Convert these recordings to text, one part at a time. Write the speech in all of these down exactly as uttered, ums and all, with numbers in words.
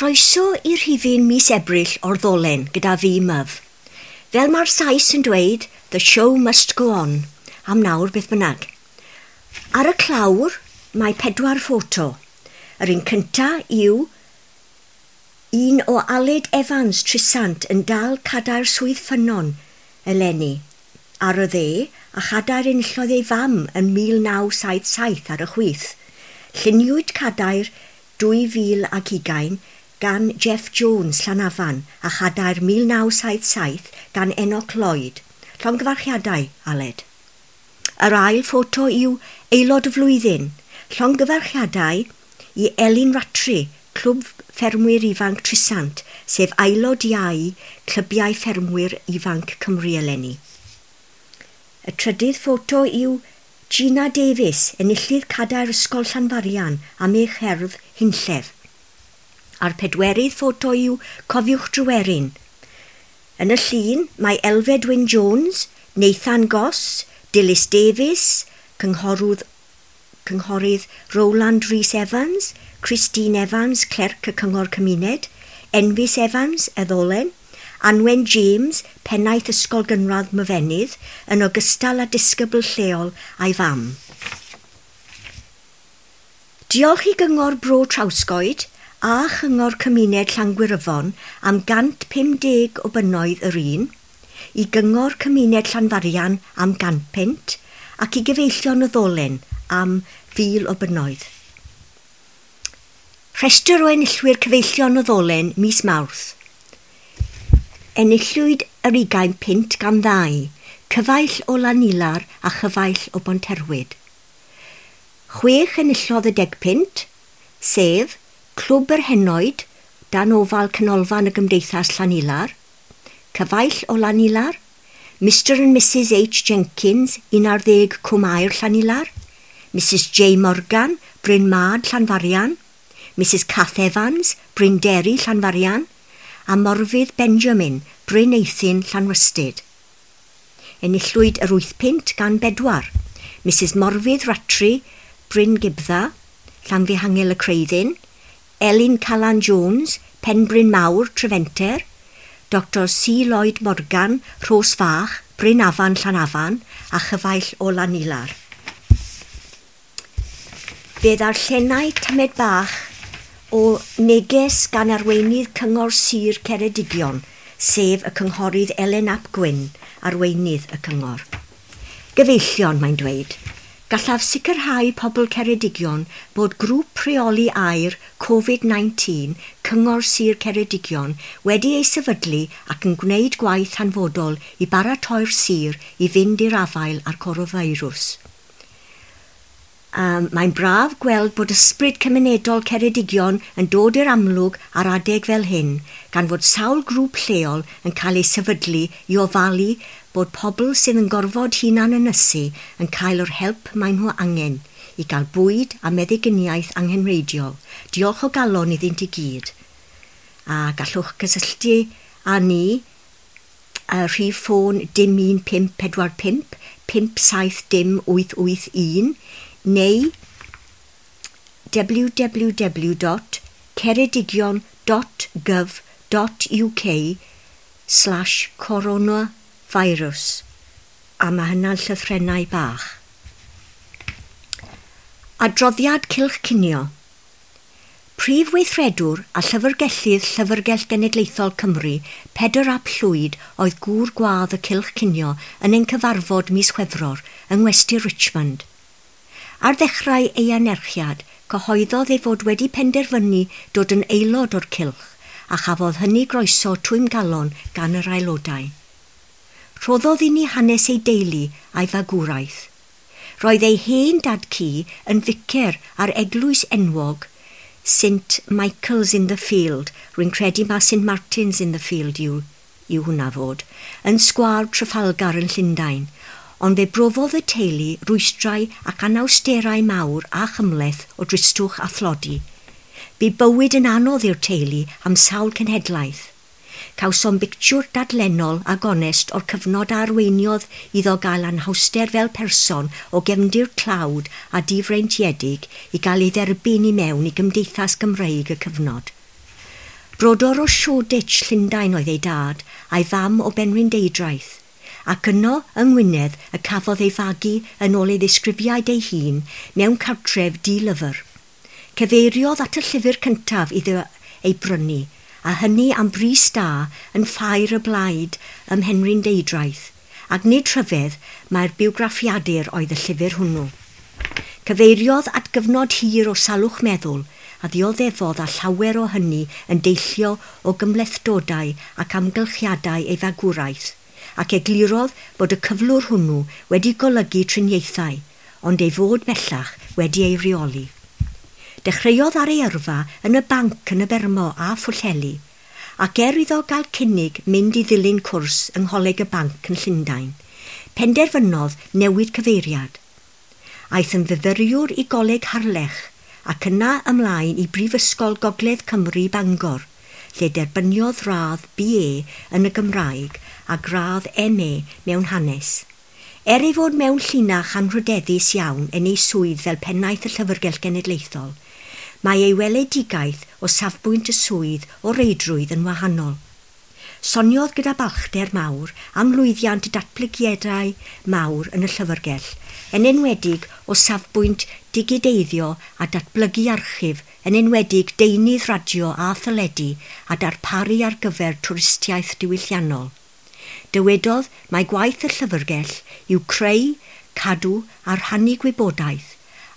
Croeso i'r rhifyn mis Ebrill o'r Ddolen gyda fi, Myf. Fel mae'r Sais yn dweud, "The show must go on", am nawr beth bynnag. Ar y clawr mae pedwar ffoto. Yr un cynta yw un o Aled Evans Trisant yn dal cadair Swydd Ffynnon eleni ar y dde a chadair enillodd ei fam yn mil naw saith saith ar y chwith. Lluniwyd cadair dwy fil ac ugain gan Jeff Jones Llanafan a chadair mil naw saith saith gan Enoch Lloyd. Llongyfarchiadau, Aled. Yr ail ffoto yw Aelod y Flwyddyn. Llongyfarchiadau i Elin Ratri, Clwb Ffermwyr Ifanc Trisant, sef aelod iau Clybiau Ffermwyr Ifanc Cymru eleni. Y trydydd ffoto yw Gina Davies, enillydd cadair Ysgol Llanfarian am ei cherdd Hunllef. A'r pedwerydd ffoto yw Cofiwch Dryweryn. Yn y llun mae Elfed Wyn Jones, Nathan Goss, Dilys Davies, cynghorwdd, cynghorydd Roland Rhys Evans, Christine Evans, clerc y Cyngor Cymuned, Enfys Evans, y Ddolen, Anwen James, pennaeth Ysgol Gynradd Myfenydd, yn ogystal â disgybl lleol a'i fam. Diolch i Gyngor Bro Trawsgoed a Chyngor Cymuned Llangwyryfon am gant pum deg o bunnoedd yr un, i Gyngor Cymuned Llanfarian am gan punt ac i Gyfeillion y Ddolen am fil o bunnoedd. Rhestr o enillwyr Cyfeillion y Ddolen mis Mawrth. Enillwyd yr ugain punt gan ddau, cyfaill o Lanilar a chyfaill o Bonterwyd. Chwech enillodd y deg punt, sef Clwb yr Henoed, dan ofal Canolfan y Gymdeithas Llanilar, cyfaill o Lanilar, Mister and Missus H Jenkins, un ar ddeg Cwmair Llanilar, Missus J Morgan, Bryn Mad Llanfarian, Missus Cath Evans, Bryn Derry Llanfarian, a Morfydd Benjamin, Bryn Eithin Llanwystyd. Enillwyd yr wyth punt gan bedwar. Missus Morfydd Ratri, Bryn Gibdda, Llanfihangel y Creuddyn, Elin Calan Jones, Penbryn Mawr, Trefenter, Doctor C Lloyd Morgan, Rhos Fach, Bryn Afan, Llanafan, a chyfaill o Lanilar. Fe ddarllenai tamed bach o neges gan arweinydd Cyngor Sir Ceredigion, sef y cynghorydd Elen Ap Gwyn, arweinydd y cyngor. "Gyfeillion," mae'n dweud, "gallaf sicrhau pobl Ceredigion bod grŵp rheoli aer Covid nineteen Cyngor Sir Ceredigion wedi ei sefydlu ac yn gwneud gwaith hanfodol i baratoi'r sir i fynd i'r afael â'r coronafeirws. Um, mae'n braf gweld bod ysbryd cymunedol Ceredigion yn dod i'r amlwg ar adeg fel hyn, gan fod sawl grŵp lleol yn cael ei sefydlu i ofalu bod pobl sydd yn gorfod hunan ynysu yn cael yr help maen nhw angen i gael bwyd a meddyginiaeth anghenreidiol. Diolch o galon iddynt i gyd." A gallwch gysylltu â ni y rhif ffôn dim un pump pedwar pump pump saith dim wyth wyth un neu w w w dot ceredigion dot gov dot U K slash coronavirus a mae hynna'n llythrennau bach. Adroddiad Cylch Cinio. Prif Weithredwr a Llyfrgellydd Llyfrgell Genedlaethol Cymru, Pedr Ap Llwyd, oedd gŵr gwadd y Cylch Cinio yn ein cyfarfod mis Chwefror yng Ngwesty Richmond. Ar ddechrau ei anerchiad, cyhoeddodd ei fod wedi penderfynu dod yn aelod o'r cylch a chafodd hynny groeso twymgalon gan yr aelodau. Rhoddodd i ni hanes ei deulu a'i fagwraeth. Roedd ei hen dad-cu yn ficer ar eglwys enwog Saint Michael's in the Field, rwy'n credu mae Saint Martin's in the Field yw, yw hwnna fod, yn sgwâr Trafalgar yn Llundain, ond fe brofodd y teulu rwystrau ac anawsterau mawr a chymhleth o dristwch a thlodi. Bu bywyd yn anodd i'r teulu am sawl cenhedlaeth. Cawsom bictiwr dadlennol a gonest o'r cyfnod a arweiniodd iddo gael anhawster fel person o gefndir tlawd a difreintiedig i gael ei dderbyn i mewn i gymdeithas Gymreig y cyfnod. Brodor o Shoreditch, Llundain oedd ei dad, a'i fam o Benrhyndeudraeth, ac yno yng Ngwynedd y cafodd ei fagu yn ôl ei ddisgrifiad ei hun mewn cartref di-lyfr. Cyfeiriodd at y llyfr cyntaf iddo ei brynu, a hynny am bris da yn Ffair y Blaid ym Mhenrhyndeudraeth, ac nid rhyfedd mae'r bywgraffiadur oedd y llyfr hwnnw. Cyfeiriodd at gyfnod hir o salwch meddwl a ddioddefodd a llawer o hynny yn deillio o gymhlethdodau ac amgylchiadau ei fagwraeth, ac eglurodd bod y cyflwr hwnnw wedi golygu triniaethau, ond ei fod bellach wedi ei reoli. Dechreuodd ar ei yrfa yn y banc yn y Bermo a Phwllheli, ac er iddo gael cynnig mynd i ddilyn cwrs yng Ngholeg y Banc yn Llundain, penderfynodd newid cyfeiriad. Aeth yn fyfyriwr i Goleg Harlech ac yna ymlaen i Brifysgol Gogledd Cymru Bangor, lle derbyniodd radd B A yn y Gymraeg a gradd M A mewn hanes. Er ei fod mewn llinach anrhydeddus iawn yn ei swydd fel pennaeth y Llyfrgell Genedlaethol, mae ei weledigaeth o safbwynt y swydd o reidrwydd yn wahanol. Soniodd gyda balchder mawr am lwyddiant y datblygiadau mawr yn y llyfrgell, yn enwedig o safbwynt digideiddio a datblygu archif, yn enwedig deunydd radio a theledu a darparu ar gyfer twristiaeth diwylliannol. Dywedodd mai gwaith y llyfrgell yw creu, cadw a rhannu gwybodaeth,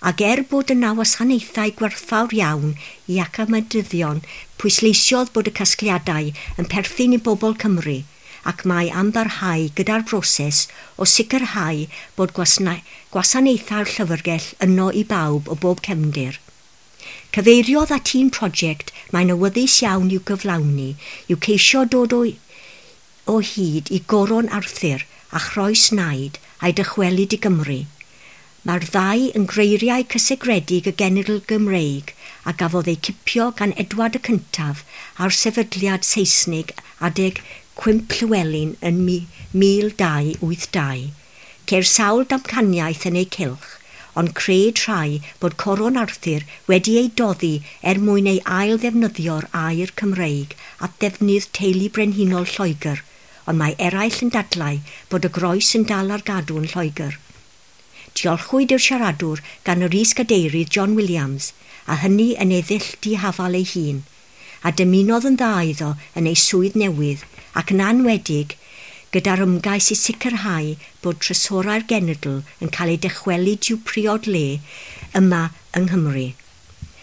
ac er bod yna wasanaethau gwerthfawr iawn i academyddion, pwysleisiodd bod y casgliadau yn perthyn i bobl Cymru, ac mae am barhau gyda'r broses o sicrhau bod gwasanaethau'r llyfrgell yno i bawb o bob cefndir. Cyfeiriodd at un prosiect mae'n awyddus iawn i'w gyflawni yw ceisio dod o, o hyd i Goron Arthur a Chroes Naid a'i dychwelyd i Gymru. Mae'r ddau yn greiriau cysegredig y genedl Gymreig a gafodd eu cipio gan Edward y Cyntaf a'r sefydliad Seisnig adeg Cwymp Llywelyn yn mil dau wyth dau. Ceir sawl damcaniaeth yn eu cylch, ond cred rhai bod Coron Arthur wedi ei doddi er mwyn ei ail ddefnyddio'r air Cymreig at ddefnydd teulu brenhinol Lloegr, ond mae eraill yn dadlau bod y groes yn dal ar gadw yn Lloegr. Diolchwyd i'r siaradwr gan yr is-gadeirydd John Williams, a hynny yn ei ddull dihafal ei hun, a dymunodd yn dda iddo yn ei swydd newydd ac yn anwedig gyda'r ymgais i sicrhau bod trysorau'r genedl yn cael ei dychwelyd i'w priod le yma yng Nghymru.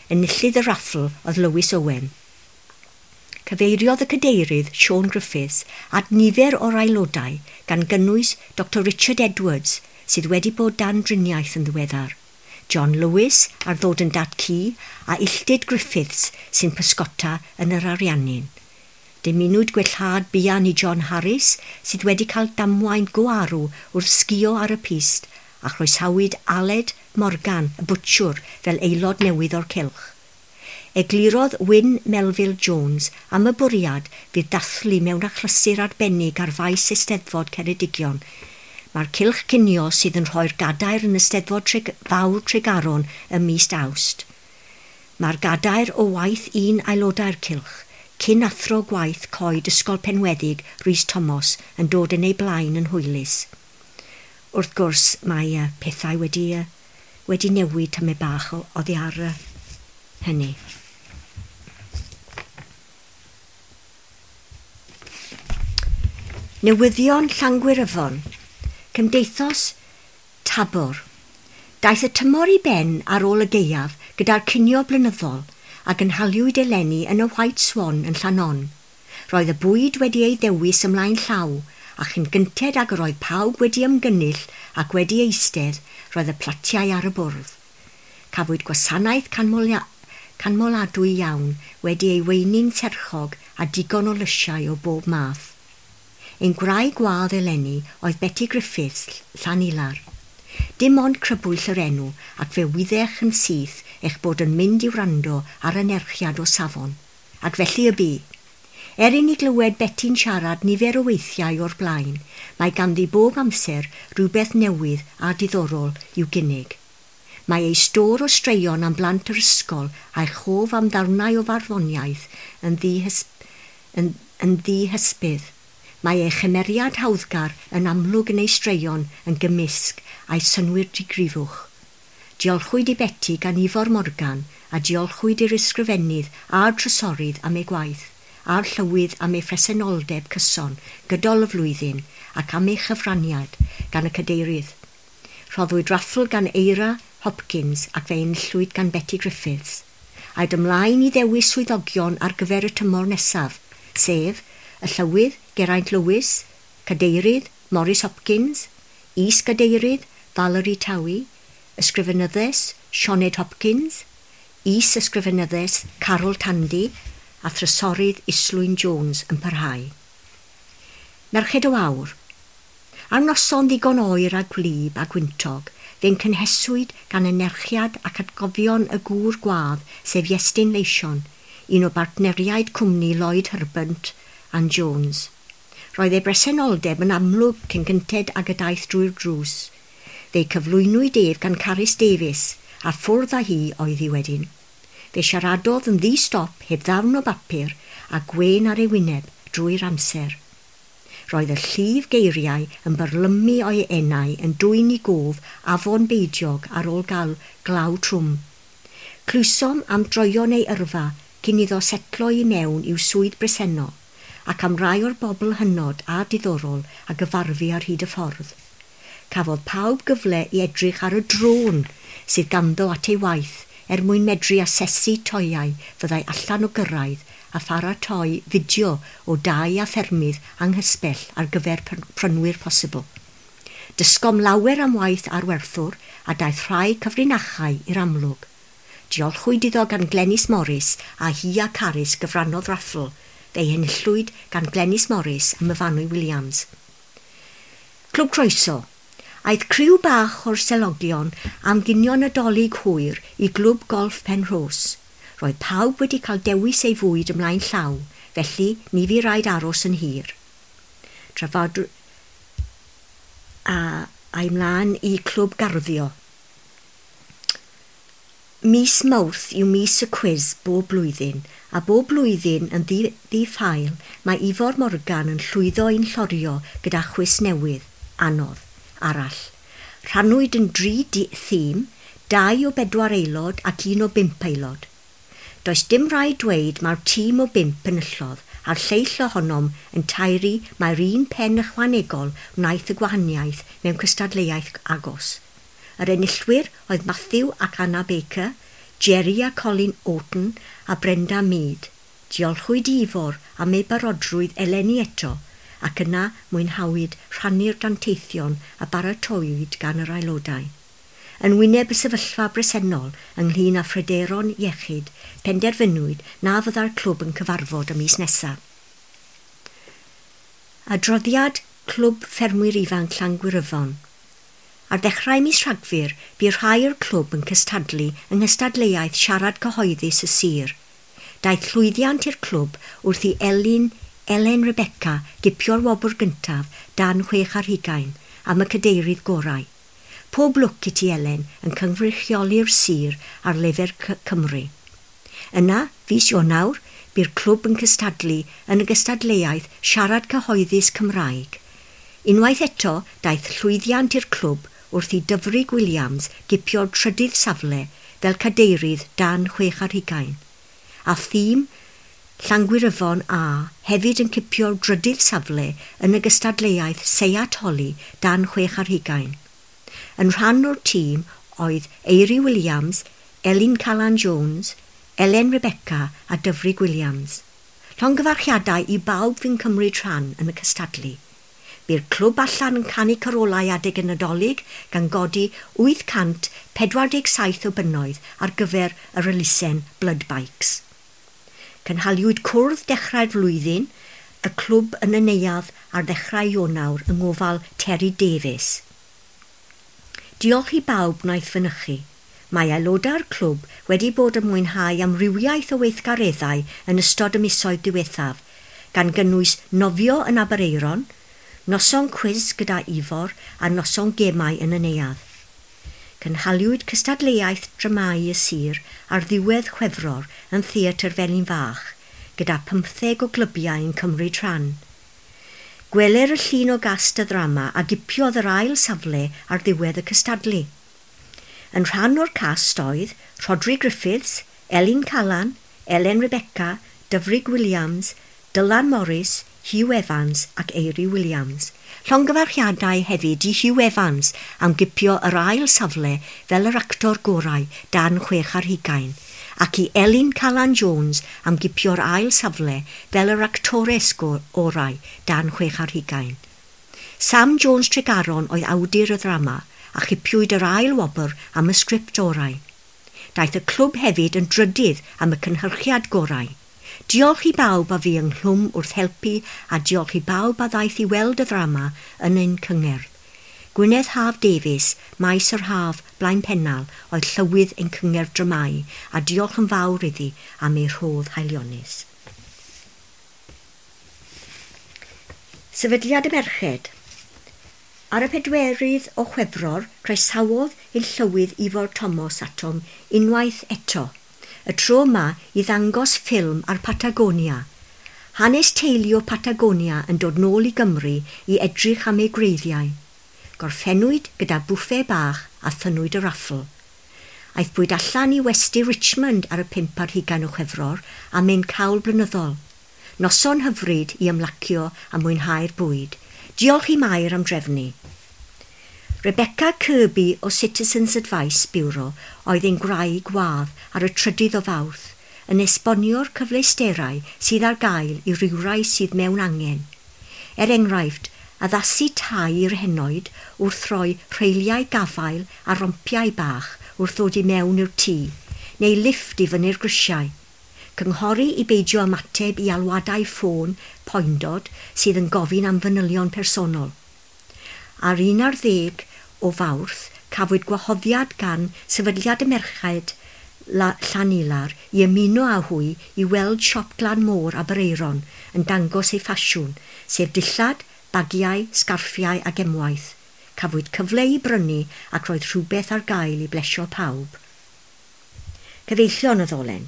Enillydd y raffl oedd Lewis Owen. Cyfeiriodd y cadeirydd Siôn Griffiths at nifer o'r aelodau gan gynnwys Doctor Richard Edwards, sydd wedi bod dan driniaeth yn ddiweddar, John Lewis ar ddod yn dad-cu a Illtyd Griffiths sy'n pysgota yn yr Ariannin. Dymunwyd gwellhad buan i John Harris sydd wedi cael damwain go arw wrth sgio ar y pist a chroesawyd Aled Morgan, y bwtsiwr, fel aelod newydd o'r cylch. Eglurodd Wyn Melville Jones am y bwriad fydd dathlu mewn achlysur arbennig ar faes Eisteddfod Ceredigion. Mae'r cylch cinio sydd yn rhoi'r gadair yn Eisteddfod Treg- Fawr Tregaron ym mis Awst. Mae'r gadair o waith un aelodau'r cylch, cyn athro gwaith coed Ysgol Penweddig Rhys Thomas yn dod yn ei blaen yn hwylus. Wrth gwrs, mae uh, pethau wedi, uh, wedi newid tamed bach o, oddi ar uh, hynny. Newyddion Llangwyryfon. Cymdeithas Tabor. Daeth y tymor i ben ar ôl y gaeaf gyda'r cinio blynyddol a gynhaliwyd eleni yn y White Swan yn Llanon. Roedd y bwyd wedi ei ddewis ymlaen llaw, a chyn gynted ag yr oedd pawb wedi ymgynnull ac wedi eistedd, roedd y platiau ar y bwrdd. Cafwyd gwasanaeth canmolia- canmoladwy iawn wedi ei weini'n serchog a digon o lysiau o bob math. Ein gwraig gwadd eleni oedd Betty Griffiths, Llanilar. Dim ond crybwyll yr enw ac fe wyddech yn syth eich bod yn mynd i wrando ar anerchiad o safon. Ac felly y bu. Er i ni glywed Betty'n siarad nifer o weithiau o'r blaen, mae ganddi bob amser rhywbeth newydd a diddorol i'w gynnig. Mae ei stôr o straeon am blant yr ysgol a'i chof am ddarnau o farddoniaeth yn yn, yn ddihysbydd. Mae ei chymeriad hawddgar yn amlwg yn ei straeon yn gymysg a'i synnwyr digrifwch. Diolchwyd i Beti gan Ifor Morgan a diolchwyd i'r ysgrifennydd a'r trysorydd am ei gwaith, a'r llywydd am ei phresenoldeb cyson gydol y flwyddyn ac am ei chyfraniad gan y cadeirydd. Rhoddwyd raffl gan Eira Hopkins ac fe enillwyd gan Betty Griffiths. Aed ymlaen i ddewis swyddogion ar gyfer y tymor nesaf, sef y llywydd Geraint Lewis, cadeirydd Maurice Hopkins, is-gadeirydd Valerie Towie, ysgrifenyddes Sioned Hopkins, is-ysgrifenyddes Carol Tandy a thrysorydd Islwyn Jones yn parhau. Merched o Awr. Ar noson ddigon oer a gwlyb a gwyntog, fe'n cynheswyd gan anerchiad ac atgofion y gŵr gwadd, sef Iestyn Leision, un o bartneriaid cwmni Lloyd Herbert and Jones. Roedd ei bresenoldeb yn amlwg cyn gynted ag y daeth drwy'r drws. Fe'i cyflwynwyd ef gan Carys Davies, a ffwrdd â hi oedd hi wedyn. Fe siaradodd yn ddi-stop heb ddarn o bapur a gwên ar ei wyneb drwy'r amser. Roedd y llif geiriau yn byrlymu o'i enau yn dwyn i gof afon beidiog ar ôl gael glaw trwm. Clywsom am droion ei yrfa cyn iddo setlo i mewn i'w swydd bresennol ac am rai o'r bobl hynod a diddorol a gyfarfu ar hyd y ffordd. Cafodd pawb gyfle i edrych ar y drôn sydd ganddo at ei waith er mwyn medru asesu toeau fyddai allan o gyrraedd a pharatoi fideo o dai a ffermydd anghysbell ar gyfer prynwyr posibl. Dysgom lawer am waith arwerthwr a daeth rhai cyfrinachau i'r amlwg. Diolchwyd iddo gan Glenys Morris a hi a Carys gyfrannodd raffl, fe'i henillwyd gan Glenys Morris a Myfanwy Williams. Clwb Croeso. Aeth criw bach o'r selogion am ginio Nadolig hwyr i glwb golff Penrhos. Roedd pawb wedi cael dewis ei fwyd ymlaen llaw, felly ni fu raid aros yn hir. Trafod a a'i mlaen i clwb garddio. Mis Mawrth yw mis y cwis bob blwyddyn, a bob blwyddyn yn ddi-ffael mae Ifor Morgan yn llwyddo i'n llorio gyda chwis newydd, anodd, arall. Rhannwyd yn dri thîm, dau o bedwar aelod ac un o bump aelod. Does dim rhaid dweud mae'r tîm o bump enillodd, a'r lleill ohonom yn taeru mae'r un pen ychwanegol wnaeth y gwahaniaeth mewn cystadleuaeth agos. Yr enillwyr oedd Matthew ac Anna Baker, Jerry a Colin Orton a Brenda Mead. Diolchwyd i Ifor am ei barodrwydd eleni eto, ac yna mwynhawyd rhannu'r danteithion a baratowyd gan yr aelodau. Yn wyneb y sefyllfa bresennol ynglŷn â phryderon iechyd, penderfynwyd na fydda'r clwb yn cyfarfod y mis nesaf. Adroddiad Clwb Ffermwyr Ifanc Llangwyryfon. Ar ddechrau mis Rhagfyr, bu rhai o'r clwb yn cystadlu yng nghystadleuaeth siarad cyhoeddus y sir. Daeth llwyddiant i'r clwb wrth i Elin, Elen Rebecca gipio'r wobr gyntaf dan chwech ar hugain am y cadeirydd gorau. Pob lwc i ti Elen yn cynrychioli'r sir ar lefel Cymru. Yna, fis Ionawr, bu'r clwb yn cystadlu yn y gystadleuaeth siarad cyhoeddus Cymraeg. Unwaith eto, daeth llwyddiant i'r clwb wrth i Dyfrig Williams gipio'r trydydd safle fel cadeirydd dan chwech ar hugain. A thîm Llangwyryfon A hefyd yn cipio'r drydydd safle yn y gystadleuaeth Seiat Holi dan chwech ar hugain. Yn rhan o'r tîm oedd Eiry Williams, Elin Calan Jones, Elen Rebecca a Dyfrig Williams. Llongyfarchiadau i bawb fu'n cymryd rhan yn y cystadlu. Bu'r clwb allan yn canu carolau adeg y Nadolig gan godi wyth cant pedwar deg saith o bunnoedd ar gyfer yr elusen Blood Bikes. Cynhaliwyd cwrdd dechrau'r flwyddyn y clwb yn y neuadd ar ddechrau Ionawr yng ngofal Terry Davies. Diolch i bawb wnaeth fynychu. Mae aelodau'r clwb wedi bod yn mwynhau amrywiaeth o weithgareddau yn ystod y misoedd diwethaf, gan gynnwys nofio yn Aberaeron, noson cwis gyda Ifor a noson gemau yn y neuadd. Cynhaliwyd cystadleuaeth dramâu y sir ar ddiwedd Chwefror yn Theatr Felin Fach, gyda pymtheg o glybiau yn cymryd rhan. Gweler y llun o gast y ddrama a gipiodd yr ail safle ar ddiwedd y cystadlu. Yn rhan o'r cast oedd Rhodri Griffiths, Elin Calan, Elen Rebecca, Dyfrig Williams, Dylan Morris, Hugh Evans ac Eiry Williams. Llongyfarchiadau hefyd i Hugh Evans am gipio yr ail safle fel yr actor gorau dan chwech ar hugain, ac i Elin Calan Jones am gipio'r ail safle fel yr actores orau dan chwech ar hugain. Sam Jones Tregaron oedd awdur y ddrama a chipiwyd yr ail wobr am y sgript orau. Daeth y clwb hefyd yn drydydd am y cynhyrchiad gorau. Diolch i bawb a fu ynghlwm wrth helpu a diolch i bawb a ddaeth i weld y ddrama yn ein cyngerdd. Gwyneth Haf Davies, Maes yr Haf, Blaen Pennal, oedd llywydd ein cyngerdd dramâu a diolch yn fawr iddi am ei rhodd haelionus. Sefydliad y Merched. Ar y pedwerydd o Chwefror, croesawodd ein llywydd Ifor Thomas atom unwaith eto, y tro yma i ddangos ffilm ar Patagonia. Hanes teulu o Patagonia yn dod nôl i Gymru i edrych am ei gwreiddiau. Gorffennwyd gyda bwffe bach a thynnwyd y raffl. Aethpwyd allan i westy Richmond ar y pump ar hugain o Chwefror am ein cawl blynyddol. Noson hyfryd i ymlacio a mwynhau'r bwyd. Diolch i Mair am drefnu. Rebecca Kirby o Citizens Advice Bureau oedd ein gwraig wadd ar y trydydd o Fawrth yn esbonio'r cyfleusterau sydd ar gael i rywrai sydd mewn angen. Er enghraifft, addasu tai i'r henoed wrth roi rheiliau gafael a rompiau bach wrth ddod i mewn i'r tŷ, neu lifft i fyny'r grisiau. Cynghori i beidio ymateb i alwadau ffôn poendod sydd yn gofyn am fanylion personol. Ar un ar ddeg o Fawrth, cafwyd gwahoddiad gan Sefydliad y Merched Llanilar i ymuno â hwy i weld siop Glan Môr Aberaeron yn dangos ei ffasiwn, sef dillad, bagiau, sgarffiau a gemwaith. Cafwyd cyfle i brynu ac roedd rhywbeth ar gael i blesio pawb. Cyfeillion y ddolen.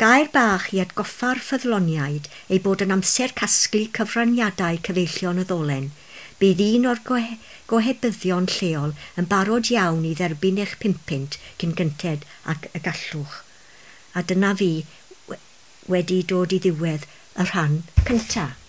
Gair bach i atgoffa'r ffyddloniaid ei bod yn amser casglu cyfraniadau cyfeillion y ddolen. Bydd un o'r gohe gohebyddion lleol yn barod iawn i dderbyn eich pumpynt cyn gynted ac y gallwch. A dyna fi wedi dod i ddiwedd y rhan cyntaf.